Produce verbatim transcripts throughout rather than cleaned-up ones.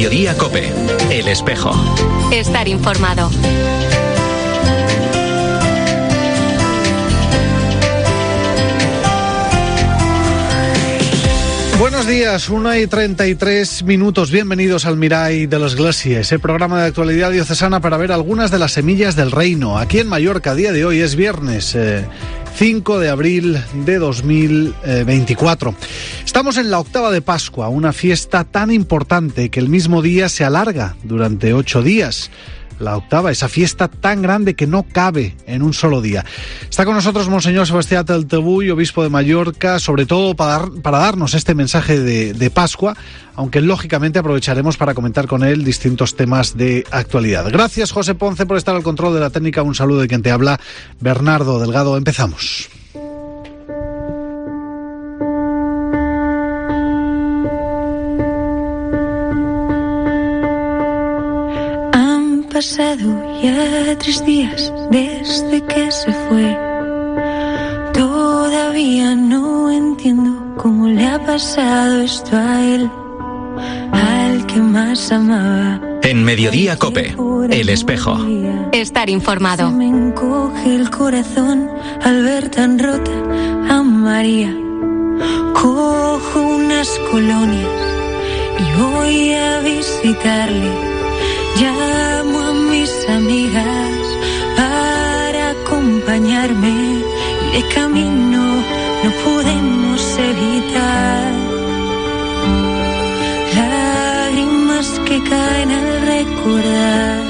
Mediodía COPE, El Espejo. Estar informado. Buenos días, una y treinta y tres minutos. Bienvenidos al Mirall de l'Església, ese programa de actualidad diocesana para ver algunas de las semillas del reino. Aquí en Mallorca, a día de hoy es viernes eh, cinco de abril de dos mil veinticuatro. Estamos en la octava de Pascua, una fiesta tan importante que el mismo día se alarga durante ocho días. La octava, esa fiesta tan grande que no cabe en un solo día. Está con nosotros Monseñor Sebastián Taltabull, obispo de Mallorca, sobre todo para, dar, para darnos este mensaje de, de Pascua, aunque lógicamente aprovecharemos para comentar con él distintos temas de actualidad. Gracias, José Ponce, por estar al control de la técnica. Un saludo de quien te habla, Bernardo Delgado. Empezamos. Pasado ya tres días desde que se fue. Todavía no entiendo cómo le ha pasado esto a él, al que más amaba. En Mediodía COPE, El Espejo. Estar informado. Se me encoge el corazón al ver tan rota a María. Cojo unas colonias y voy a visitarle. Llamo a mis amigas para acompañarme y de camino no podemos evitar lágrimas que caen al recordar.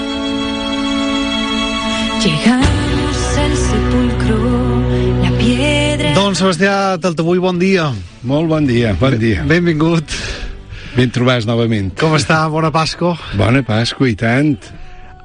Llegamos al sepulcro, la piedra... Don Sebastià Taltabull, bon dia. Molt bon dia, bon dia. Benvingut. Ben trobats novament. Com està? Bona Pasqua. Bona Pasqua, i tant.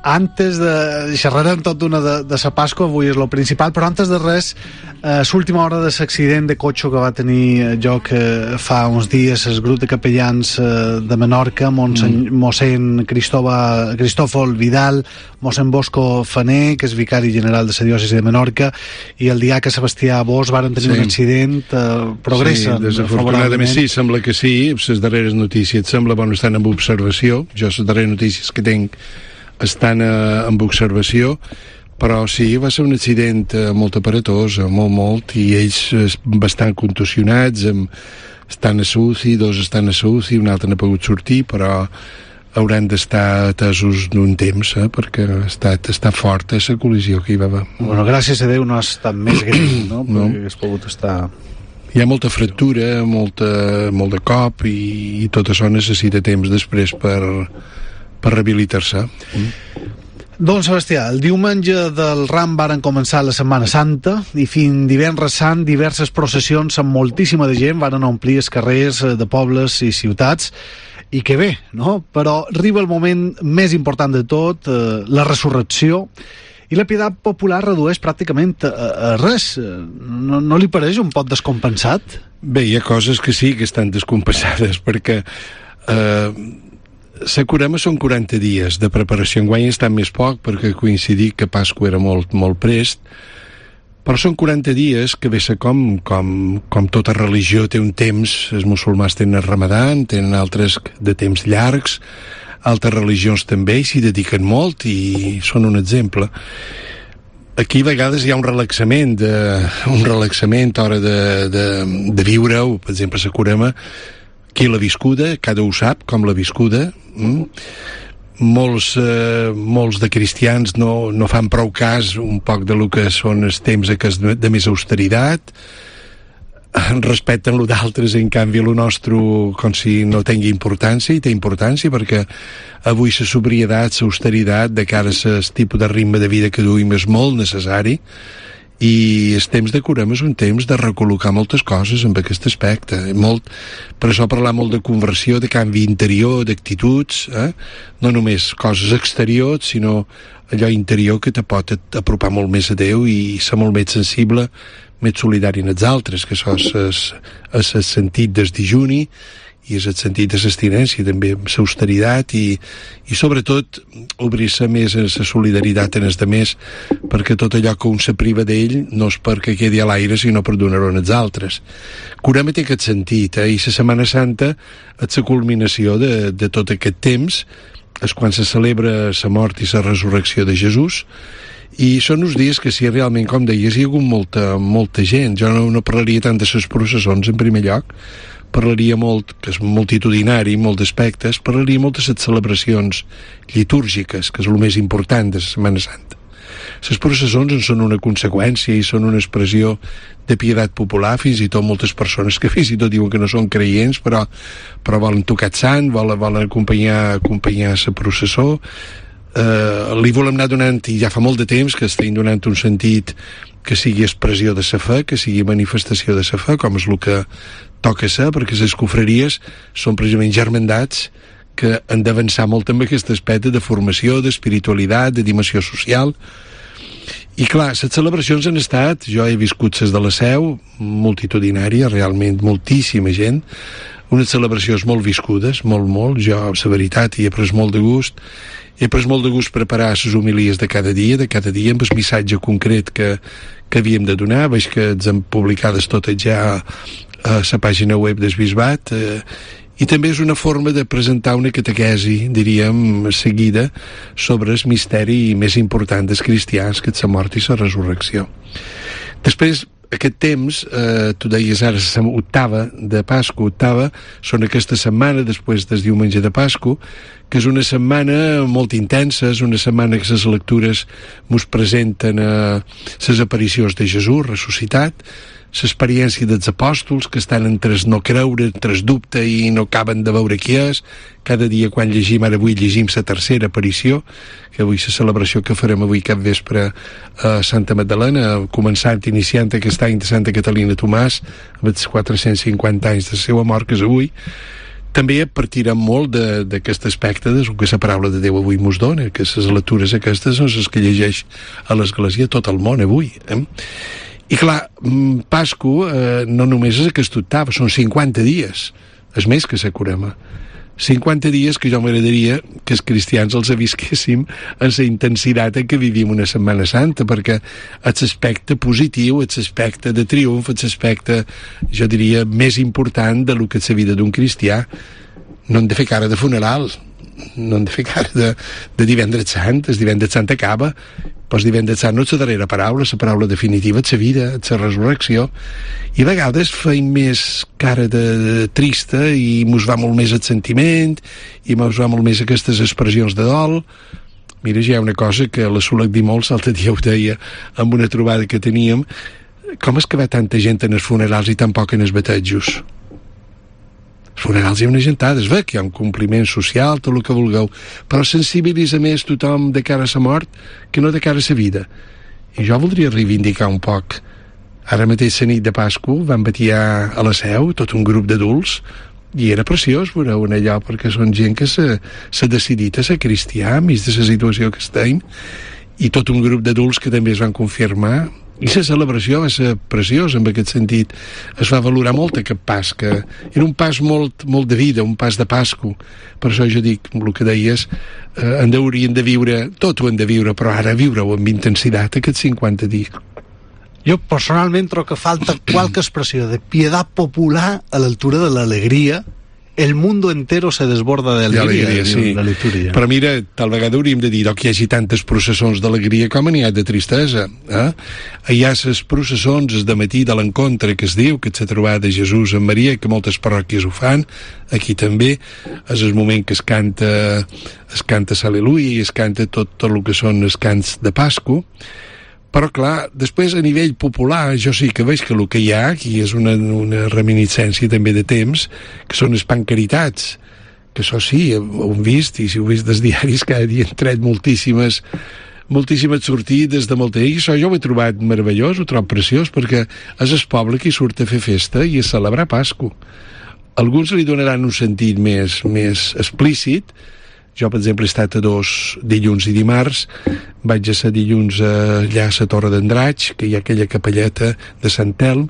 Antes de... xerrarem tot d'una de, de sa Pasqua, avui és lo principal, però antes de res, eh, l'última hora de l'accident de cotxe que va tenir lloc eh, fa uns dies el grup de capellans eh, de Menorca, Monsen, mm. mossèn Cristova, Cristòfol Vidal, mossèn Bosco Faner, que és vicari general de la diòcesi de Menorca, i el diaca Sebastià Bosch varen tenir sí. un accident, eh, progressa. Sí, desafortunadament sí, sembla que sí, les darreres notícies, sembla, bueno, estan en observació, jo les darreres notícies que tinc estan eh, en observació, però sí, va ser un accident eh, molt aparatós, eh, molt, molt, i ells eh, bastant contusionats, amb, estan a la U C I, dos estan a la U C I, un altre no ha pogut sortir, però hauran d'estar atesos d'un temps, eh, perquè ha estat, està forta la col·lisió que hi va haver. Bueno, gràcies a Déu no ha estat més greu, no? Perquè no. Hagués pogut estar... Hi ha molta fractura, molta, molt de cop, i, i tot això necessita temps després per... per rehabilitar-se. Mm. Don Sebastià, el diumenge del Ram varen començar la Setmana Santa i fins divendres sant diverses processions amb moltíssima de gent varen omplir els carrers de pobles i ciutats, i que bé, no? Però arriba el moment més important de tot, eh, la resurrecció, i la pietat popular redueix pràcticament a, a res. No, no li pareix un poc descompensat? Bé, hi ha coses que sí que estan descompensades, perquè eh, la Curema són quaranta dies de preparació. Enguany està més poc perquè coincidir que Pasqua era molt, molt prest, però són quaranta dies que ve ser com, com, com tota religió té un temps. Els musulmans tenen el Ramadan, tenen altres de temps llargs, altres religions també s'hi dediquen molt i són un exemple. Aquí a vegades hi ha un relaxament de, un relaxament a l'hora de, de, de viure-ho. Per exemple, la Curema, qui l'ha viscuda, cada ho sap com l'ha viscuda. Mm? Molts, eh, molts de cristians no, no fan prou cas un poc de lo que són els temps de, de més austeritat, respecten lo d'altres, en canvi lo nostre com si no tingui importància, i té importància perquè avui la sobrietat, l'austeritat de cara a el tipus de ritme de vida que duim és molt necessari, i el temps de Curem és un temps de recol·locar moltes coses en aquest aspecte. Molt, per això parlar molt de conversió, de canvi interior, d'actituds, eh? No només coses exteriors, sinó allò interior que te pot apropar molt més a Déu i ser molt més sensible, més solidari en els altres, que això és, és, és el sentit del dijuni i és el sentit de l'abstinència, també l'austeritat i, i sobretot obrir-se més a la solidaritat en els demés, perquè tot allò que un se priva d'ell no és perquè quedi a l'aire, sinó per donar-ho als altres. Curem té aquest sentit, eh? I la Setmana Santa és la culminació de, de tot aquest temps, és quan se celebra la mort i la resurrecció de Jesús, i són uns dies que si realment, com deies, hi ha hagut molta, molta gent. Jo no, no parlaria tant de les processons en primer lloc, parlaria molt, que és multitudinari, molt d'aspectes, parlaria molt de les celebracions litúrgiques, que és el més important de la Setmana Santa. Les processons en són una conseqüència i són una expressió de pietat popular, fins i tot moltes persones que fins i tot diuen que no són creients, però, però volen tocar el sant, volen, volen acompanyar, acompanyar la processó. Uh, li volem anar donant, i ja fa molt de temps que estem donant un sentit que sigui expressió de sa fe, que sigui manifestació de sa fe, com és el que toca ser, perquè les confraries són precisament germandats que han d'avançar molt amb aquest aspecte de formació, d'espiritualitat, de dimensió social. I clar, les celebracions han estat, jo he viscut les de la Seu, multitudinària, realment moltíssima gent, unes celebracions molt viscudes, molt, molt, jo, la veritat, hi he pres molt de gust, he pres molt de gust preparar les homilies de cada dia, de cada dia, amb el missatge concret que, que havíem de donar. Veig que ens han publicades totes ja a la pàgina web del Bisbat, eh, i també és una forma de presentar una catequesi, diríem, seguida, sobre el misteri més important dels cristians, que és la mort i la resurrecció. Després, aquest temps, eh, tu deies ara, octava de Pasqua, octava, són aquesta setmana després del diumenge de Pasqua, que és una setmana molt intensa, és una setmana que les lectures mos presenten eh, les aparicions de Jesús ressuscitat, l'experiència dels apòstols, que estan entre el no creure, entre el dubte i no acaben de veure qui és. Cada dia quan llegim, ara avui llegim la tercera aparició, que avui la celebració que farem avui cap vespre a Santa Magdalena, començant, iniciant aquest any de Santa Catalina Tomàs, amb els quatre-cents cinquanta anys de la seva mort, que és avui. També partirem molt d'aquest aspecte del que la paraula de Déu avui mos dona, que les lectures aquestes són les que llegeix a l'Església tot el món avui. Eh? I clar, Pasqua eh, no només és aquest octava, són cinquanta dies, és més que la Corema. cinquanta dies que jo m'agradaria que els cristians els avisquéssim en la intensitat en què vivim una Setmana Santa, perquè és l'aspecte positiu, és l'aspecte de triomf, és l'aspecte, jo diria, més important de lo que és la vida d'un cristià. No hem de fer cara de funeral, no hem de fer cara de, de divendres sant. El divendres sant acaba, però el divendres sant no és la darrera paraula, la paraula definitiva és la vida, és la resurrecció, i a vegades feim més cara de, de trista i mos va molt més el sentiment i mos va molt més aquestes expressions de dol. Mira, ja hi ha una cosa que la Solet Dimols l'altre dia ho deia amb una trobada que teníem: com és que va tanta gent en els funerals i tan poc en els batejos? Els funerals hi ha una gentada, es ve que hi ha un compliment social, tot el que vulgueu, però sensibilitza més tothom de cara a la mort que no de cara a la vida. I jo voldria reivindicar un poc. Ara mateix la nit de Pasqua van batiar a la Seu tot un grup d'adults i era preciós veure un allò, perquè són gent que s'ha decidit a ser cristià enmig de la situació que estem, i tot un grup d'adults que també es van confirmar. I la celebració va ser preciosa en aquest sentit. Es va valorar molt aquest pas, que era un pas molt, molt de vida, un pas de Pasqua. Per això jo dic, el que deies, eh, en haurien de viure, tot ho hem de viure, però ara viure-ho amb intensitat aquests cinquanta dies. Jo personalment trobo que falta qualque expressió de pietat popular a l'altura de l'alegria. El mundo entero se desborda d'alegria, sí. La litúrgia. Però mira, tal vegada hauríem de dir que hi hagi tantes processons d'alegria com n'hi ha de tristesa. Eh? Hi ha les processons de matí de l'encontre, que es diu, que és la trobada de Jesús amb Maria, que moltes parròquies ho fan, aquí també. És el moment que es canta, es canta l'Al·leluia i es canta tot, tot el que són els cants de Pasqua. Però clar, després a nivell popular jo sí que veig que el que hi ha aquí és una, una reminiscència també de temps, que són les pancaritats, que això sí, ho hem vist, i si ho heu vist dels diaris, cada dia han tret moltíssimes moltíssimes sortides de molta... I això jo ho he trobat meravellós, ho trobo preciós, perquè és el poble que hi surt a fer festa i a celebrar Pasqua. Alguns li donaran un sentit més, més explícit. Jo, per exemple, he estat a dos dilluns i dimarts. Vaig a ser dilluns allà a la Torre d'Andratx, que hi ha aquella capelleta de Sant Telm,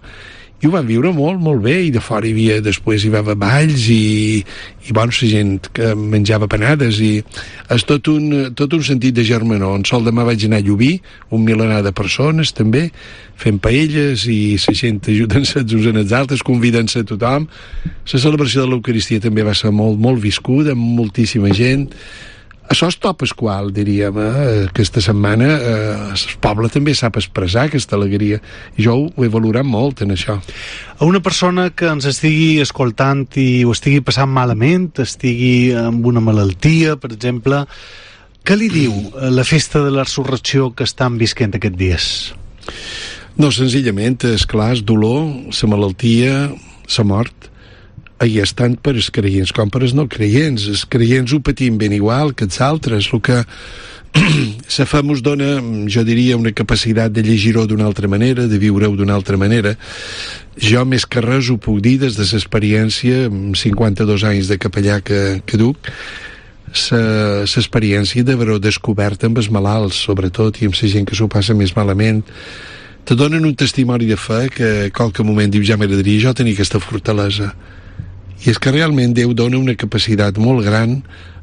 i ho van viure molt, molt bé, i de fora hi havia, després hi va haver balls i, i bueno, la gent que menjava panades, i és tot un, tot un sentit de germanor. En sol demà vaig anar a Llubí, un milenar de persones també, fent paelles, i la gent ajudant-se els uns en els altres, convidant-se a tothom. La celebració de l'Eucaristia també va ser molt, molt viscuda, amb moltíssima gent. Això és top esqual, diríem, eh? Aquesta setmana eh, el poble també sap expressar aquesta alegria, i jo ho he valorat molt en això. A una persona que ens estigui escoltant i ho estigui passant malament, estigui amb una malaltia, per exemple, què li diu la festa de la resurrecció que estan visquent aquests dies? No, senzillament, és clar, és dolor, la malaltia, la mort. Ahí és tant per els creients com per els no creients. Els creients ho patim ben igual que els altres. El que la fe mos dona, jo diria, una capacitat de llegir-ho d'una altra manera, de viure-ho d'una altra manera. Jo, més que res, ho puc dir des de l'experiència, amb cinquanta-dos anys de capellà que, que duc, l'experiència d'haver-ho descobert amb els malalts, sobretot, i amb la gent que s'ho passa més malament. Te donen un testimoni de fe que a qualque moment diu, ja m'agradaria jo tenir aquesta fortalesa. I és que realment Déu dona una capacitat molt gran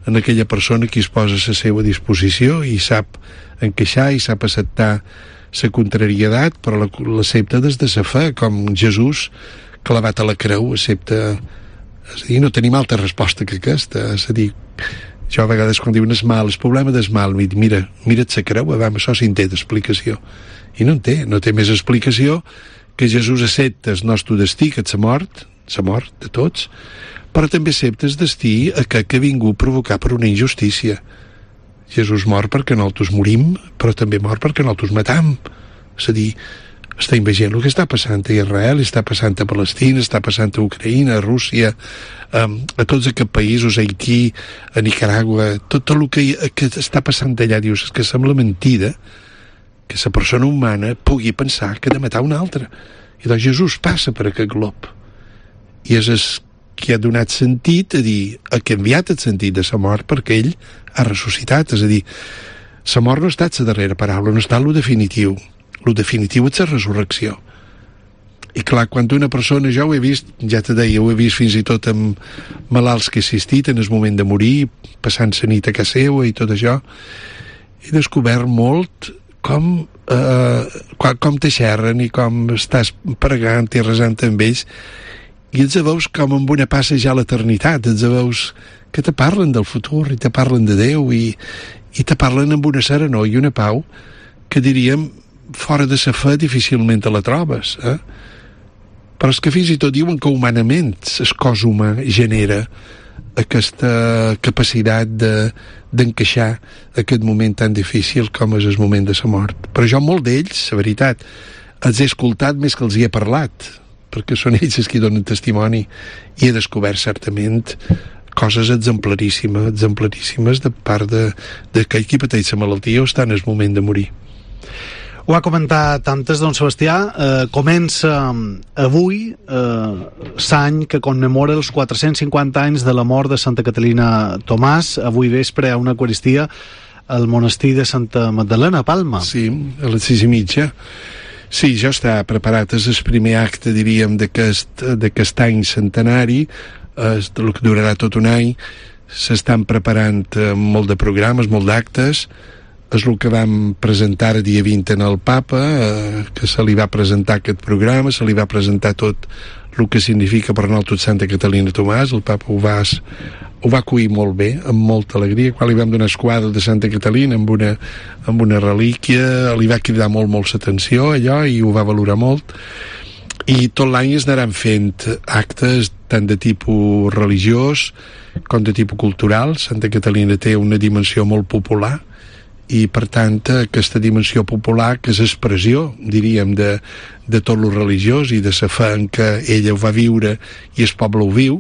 en aquella persona que es posa a la seva disposició i sap encaixar i sap acceptar la contrarietat, però l'accepta des de la fe, com Jesús clavat a la creu accepta. És a dir, no tenim altra resposta que aquesta. És a dir, jo a vegades quan diuen es mal, el problema del mal, mira, mira't la creu, a veure, això sí en té d'explicació. I no en té, no té més explicació que Jesús accepta el nostre destí, que és la mort, la mort de tots, però també accepta el destí aquest que ha vingut provocar per una injustícia. Jesús mor perquè nosaltres morim, però també mor perquè nosaltres matam. És a dir, estem veient el que està passant a Israel, està passant a Palestina, està passant a Ucraïna, a Rússia, a, a tots aquests països, a Haití, a Nicaragua, tot, tot el que, que està passant allà, dius, és que sembla mentida que la persona humana pugui pensar que ha de matar una altra. I doncs Jesús passa per aquest glob. I és el que ha donat sentit a dir, ha canviat el sentit de la mort perquè ell ha ressuscitat. És a dir, la mort no ha estat la darrera paraula, no ha estat lo definitiu. Lo definitiu és la resurrecció. I clar, quan una persona, jo ho he vist, ja te deia, ho he vist fins i tot amb malalts que he assistit en el moment de morir, passant la nit a casa seva i tot això, he descobert molt com, eh, com te xerren i com estàs pregant i resant amb ells, i els veus com amb una passa ja a l'eternitat, els veus que te parlen del futur i te parlen de Déu i, i te parlen amb una serenor i una pau que diríem fora de la fe difícilment te la trobes, eh? Però és que fins i tot diuen que humanament el cos humà genera aquesta capacitat de, d'encaixar aquest moment tan difícil com és el moment de la mort. Però jo molt d'ells, la veritat, els he escoltat més que els hi he parlat, perquè són ells els que donen testimoni, i he descobert certament coses exemplaríssimes, exemplaríssimes de part de, de que qui pateix la malaltia o està en el moment de morir. Ho ha comentat antes, don Sebastià, eh, comença avui eh, l'any que commemora els quatre-cents cinquanta anys de la mort de Santa Catalina Tomàs. Avui vespre hi ha una eucaristia al monestir de Santa Magdalena, a Palma. Sí, a les sis i mitja. Sí, ja està preparat. És el primer acte, diríem, d'aquest, d'aquest any centenari, és el que durarà tot un any. S'estan preparant molt de programes, molt d'actes. És el que vam presentar el dia vint en el Papa, eh, que se li va presentar aquest programa, se li va presentar tot el que significa per nosaltres Santa Catalina Tomàs. El Papa ho va, ho va acollir molt bé, amb molta alegria. Quan li vam donar el quadre de Santa Catalina amb una, amb una relíquia, li va cridar molt, molt l'atenció allò, i ho va valorar molt. I tot l'any es anaran fent actes tant de tipus religiós com de tipus cultural. Santa Catalina té una dimensió molt popular, i per tant aquesta dimensió popular, que és expressió, diríem, de, de tot lo religiós i de la fe en què ella ho va viure i el poble ho viu.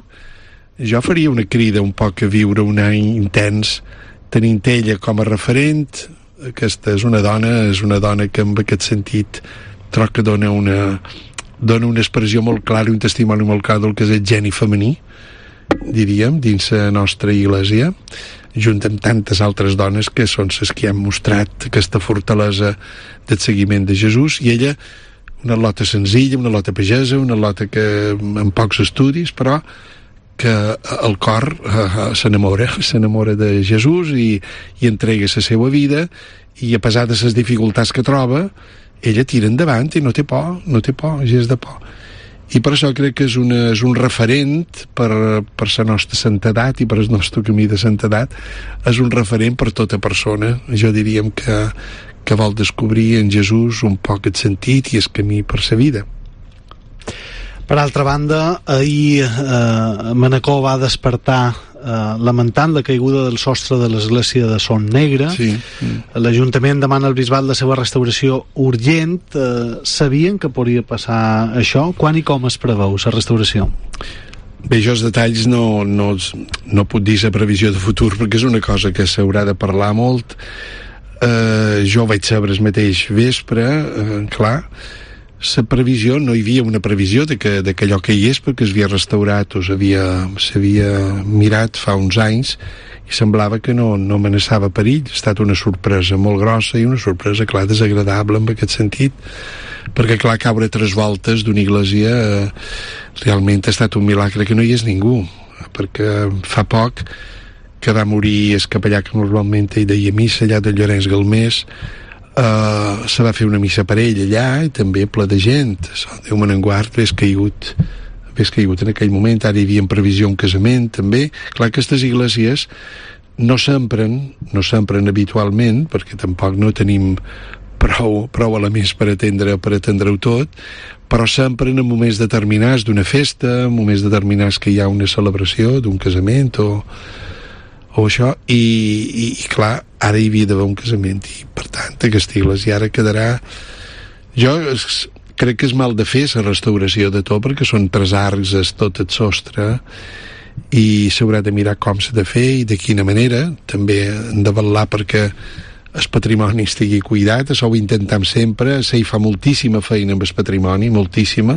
Jo faria una crida un poc a viure un any intens tenint ella com a referent. Aquesta és una dona, és una dona que en aquest sentit trobo que dona una, dona una expressió molt clara i un testimoni molt clar del que és el geni femení, diríem, dins la nostra Iglésia, junt amb tantes altres dones que són les que han mostrat aquesta fortalesa del seguiment de Jesús. I ella, una lota senzilla, una lota pagesa, una lota que amb pocs estudis, però que el cor uh, s'enamora, s'enamora de Jesús i, i entrega la seva vida, i a pesar de les dificultats que troba, ella tira endavant i no té por, no té por, gens de por. I per això crec que és, una, és un referent per, per la nostra santedat i per el nostre camí de santedat. És un referent per tota persona. Jo diríem que, que vol descobrir en Jesús un poc el sentit i el camí per la vida. Per altra banda, ahir eh, Manacor va despertar eh, lamentant la caiguda del sostre de l'església de Son Negre. Sí. L'Ajuntament demana al Bisbat la seva restauració urgent. Eh, sabien que podria passar això? Quan i com es preveu la restauració? Bé, jo els detalls no, no, no puc dir la previsió de futur perquè és una cosa que s'haurà de parlar molt. Eh, jo vaig saber el mateix vespre, eh, clar, la previsió, no hi havia una previsió de que, de que allò que hi és perquè s'havia restaurat o s'havia mirat fa uns anys i semblava que no, no amenaçava perill. Ha estat una sorpresa molt grossa i una sorpresa, clar, desagradable en aquest sentit, perquè, clar, caure tres voltes d'una església eh, realment ha estat un milagre que no hi és ningú, perquè fa poc que va morir el capellà que normalment hi deia missa allà de Llorenç Galmés. Uh, se va fer una missa per ell allà i també ple de gent. Déu me n'enguard, ves caigut ves caigut en aquell moment. Ara hi havia en previsió un casament també. Clar, aquestes esglésies no s'empren no s'empren habitualment perquè tampoc no tenim prou, prou elements per atendre per atendre-ho tot, però s'empren en moments determinats d'una festa, en moments determinats que hi ha una celebració d'un casament o o això, i, i, i clar, ara hi havia d'haver un casament i per tant aquesta església ara quedarà, jo es, crec que és mal de fer la restauració de tot perquè són tres arcs, és tot el sostre i s'haurà de mirar com s'ha de fer i de quina manera, també hem de vetllar perquè el patrimoni estigui cuidat, això ho intentem sempre, s'hi fa moltíssima feina amb el patrimoni, moltíssima,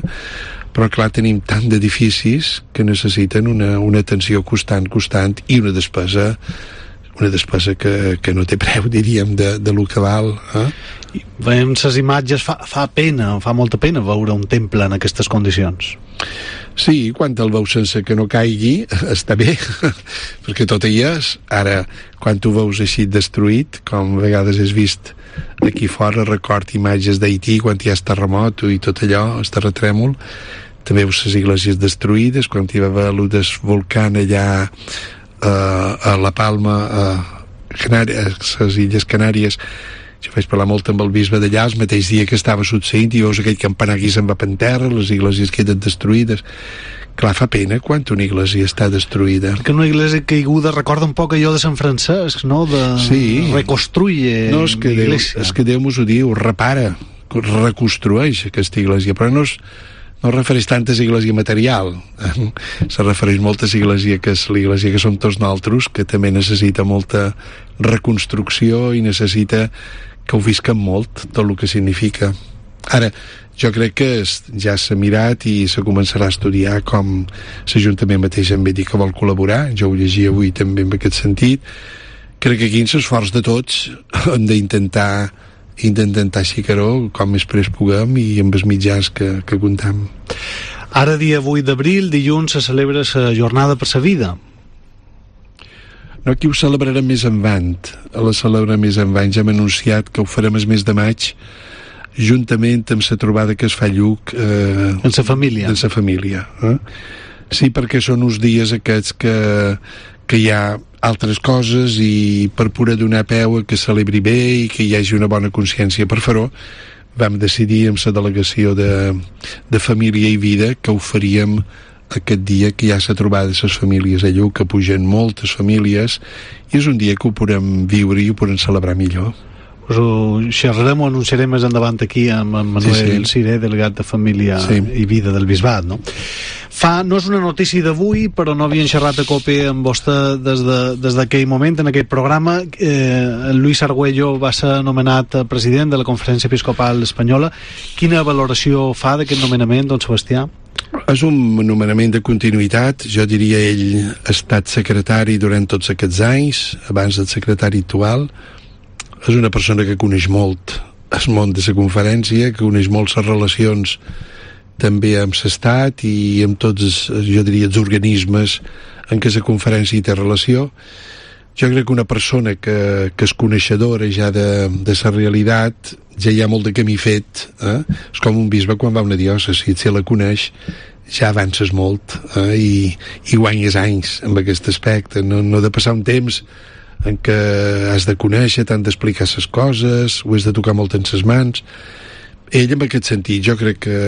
però clar, tenim tant d'edificis que necessiten una, una atenció constant, constant i una despesa una despesa que, que no té preu, diríem, de, de lo que val. Eh? I veiem les imatges, fa, fa pena, fa molta pena veure un temple en aquestes condicions. Sí, quan el veus sense que no caigui, està bé, perquè tot hi és. Ara, quan tu veus així destruït, com a vegades has vist aquí fora, record imatges d'Haití, quan hi ha el terremot i tot allò, el terratrèmol, també veus les esglésies destruïdes, quan hi va haver el volcán allà eh, a La Palma, a Canàries, a les Illes Canàries. Jo vaig parlar molt amb el bisbe d'allà el mateix dia que estava succeint i veus aquell campanar aquí se'n va per terra, les esglésies queden destruïdes. Clar, fa pena quan una església està destruïda. Que una església caiguda recorda un poc allò de Sant Francesc, no? De sí. Reconstruye no, és que Déu, és que Déu mos ho diu, repara, reconstrueix aquesta església, però no és no refereix tant a l'església material, se refereix molt a l'església que és l'església que som tots nosaltres, que també necessita molta reconstrucció i necessita que ho visquem molt, tot el que significa. Ara, jo crec que ja s'ha mirat i se començarà a estudiar com l'Ajuntament mateix em va dir que vol col·laborar, jo ho llegia avui també en aquest sentit. Crec que aquí en l'esforç de tots hem d'intentar intentar xicar-ho com més prest puguem i amb els mitjans que, que comptem. Ara, dia vuit d'abril, dilluns, se celebra la Jornada per la Vida. No, aquí ho celebrarem més endavant. A la celebrarem més endavant. Ja hem anunciat que ho farem el mes de maig juntament amb la trobada que es fa a Lluc eh, en la família. En la família. Eh? Sí, perquè són uns dies aquests que, que hi ha altres coses i per pura donar peu a que celebri bé i que hi hagi una bona consciència per fer-ho, vam decidir amb la delegació de, de Família i Vida que ho faríem aquest dia que ja s'ha trobat les famílies a Lluc, que pugen moltes famílies i és un dia que ho podem viure i ho podem celebrar millor. Us ho xerrarem o anunciarem més endavant aquí amb en Manuel sí, sí. Ciré, delegat de Família sí. i Vida del Bisbat, no? Fa, no és una notícia d'avui, però no havien xerrat a COPE amb vostè des d'aquell de, moment, en aquest programa. Eh, Luis Argüello va ser nomenat president de la Conferència Episcopal Espanyola. Quina valoració fa d'aquest nomenament, don Sebastià? És un nomenament de continuïtat. Jo diria ell ha estat secretari durant tots aquests anys, abans del secretari actual. És una persona que coneix molt el món de la conferència, que uneix molt les relacions també amb l'Estat i amb tots, els, jo diria, els organismes en què la conferència hi té relació. Jo crec que una persona que, que és coneixedora ja de, de la realitat, ja hi ha molt de camí fet, eh? És com un bisbe quan va a una diòcesi, si la coneix ja avances molt, eh? I, i guanyes anys amb aquest aspecte, no, no de passar un temps en què has de conèixer, t'han d'explicar les coses, ho has de tocar molt en les mans. Ell, en aquest sentit, jo crec que,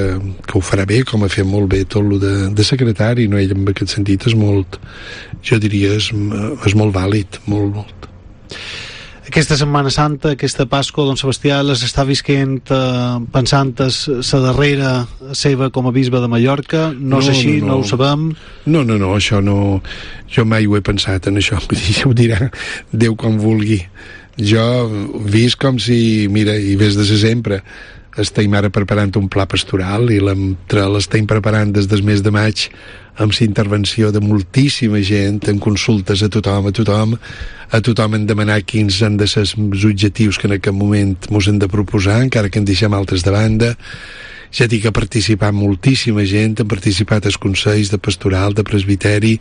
que ho farà bé, com ha fet molt bé tot el de, de secretari, no? Ell, en aquest sentit, és molt, jo diria, és, és molt vàlid, molt, molt. Aquesta Setmana Santa, aquesta Pasqua, don Sebastià, les està visquent eh, pensant la darrera seva com a bisbe de Mallorca? No, no és així, no, no. no ho sabem? No, no, no, això no... Jo mai ho he pensat en això, ja ho dirà Déu com vulgui. Jo he vist com si, mira, i ves de sempre, estem ara preparant un pla pastoral i l'estem preparant des del mes de maig amb la intervenció de moltíssima gent, en consultes a tothom, a tothom, a tothom en demanar quins han de ser els objectius que en aquest moment mos hem de proposar, encara que en deixem altres de banda. Ja dic que ha participat moltíssima gent, han participat els consells de pastoral, de presbiteri,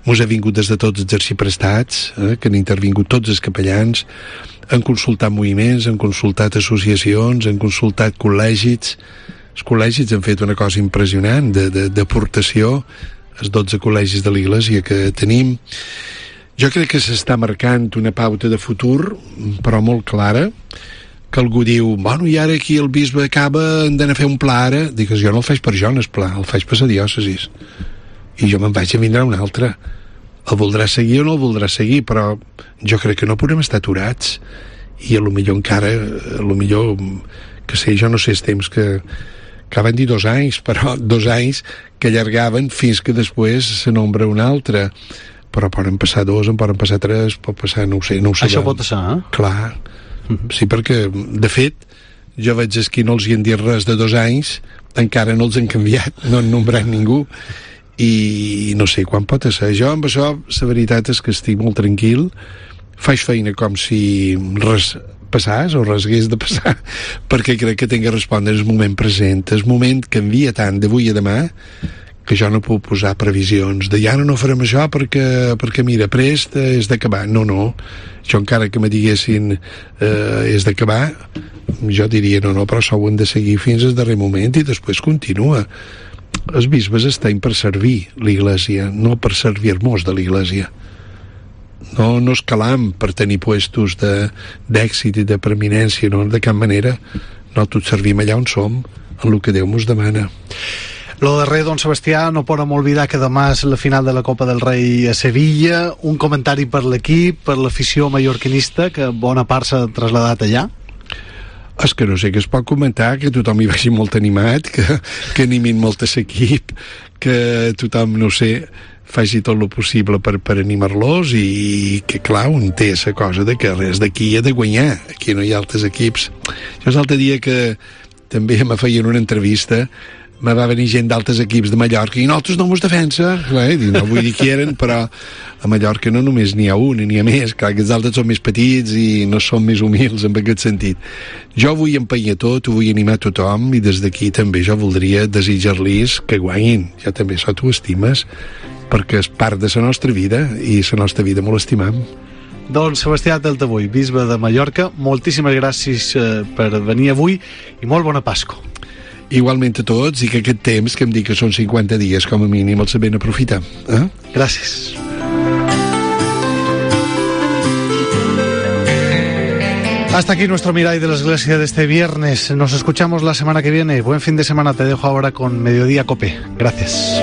mos ha vingut des de tots els arxiprestats, eh, que han intervingut tots els capellans, han consultat moviments, han consultat associacions, han consultat col·legis. Els col·legis han fet una cosa impressionant d'aportació, els dotze col·legis de l'Església que tenim. Jo crec que s'està marcant una pauta de futur, però molt clara, que algú diu, bueno, i ara aquí el bisbe acaba, hem d'anar a fer un pla ara. Dic, jo no el faig per jo, el pla, el faig per la diòcesis. I jo me'n vaig a vindre un altre. El voldrà seguir o no el voldrà seguir, però jo crec que no podem estar aturats. I a lo millor encara, a lo millor, que sé, jo no sé els temps que, que van dir dos anys, però dos anys que allargaven fins que després se nombra un altre. Però poden passar dos, en poden passar tres, pot passar, no ho sé, no ho sabem. Això pot passar, eh? Clar. Mm-hmm. Sí, perquè, de fet, jo veig que qui no els hi han dit res de dos anys, encara no els han canviat, no han nombrat ningú. I no sé quan pot ser. Jo amb això, la veritat és que estic molt tranquil, faig feina com si res passàs o res hagués de passar, perquè crec que tinc que respondre en el moment present. El moment canvia tant d'avui a demà que jo no puc posar previsions de ja no, no farem això perquè, perquè mira, prest és d'acabar. No, no. Jo encara que me diguessin eh, és d'acabar, jo diria no, no, però això ho hem de seguir fins al darrer moment i després continua. Els bisbes estem per servir l'Església, no per servir-nos de l'Església. No, no escalam per tenir puestos d'èxit i de preeminència, no, de cap manera. No, tots servim allà on som, en el que Déu mos demana. Lo darrer, don Sebastià, no podem oblidar que demà és la final de la Copa del Rei a Sevilla. Un comentari per l'equip, per l'afició mallorquinista, que bona part s'ha trasladat allà. És que no sé què es pot comentar, que tothom hi vagi molt animat, que, que animin molt a l'equip, que tothom, no sé, faci tot el possible per, per animar-los i que, clar, un té la cosa de que res d'aquí ha de guanyar. Aquí no hi ha altres equips. Jo l'altre dia que també me feien una entrevista, me va venir gent d'altres equips de Mallorca i nosaltres no mos defensa, eh? No vull dir qui eren, però a Mallorca no només n'hi ha un, n'hi ha més, clar que els altres són més petits i no són més humils en aquest sentit. Jo vull empenyar tot, ho vull animar a tothom i des d'aquí també jo voldria desitjar-los que guanyin. Jo també això t'ho estimes, perquè és part de la nostra vida i la nostra vida molt estimam. Doncs Sebastià Taltabull, bisbe de Mallorca, moltíssimes gràcies eh, per venir avui i molt bona Pasqua. Igualment a tots, i que aquest temps, que em dic que són cinquanta dies com a mínim, el sabem aprofitar. ¿Eh? Gràcies. Hasta aquí nuestro Mirai de la Iglesia de este viernes. Nos escuchamos la semana que viene. Buen fin de semana. Te dejo ahora con Mediodía Cope. Gracias.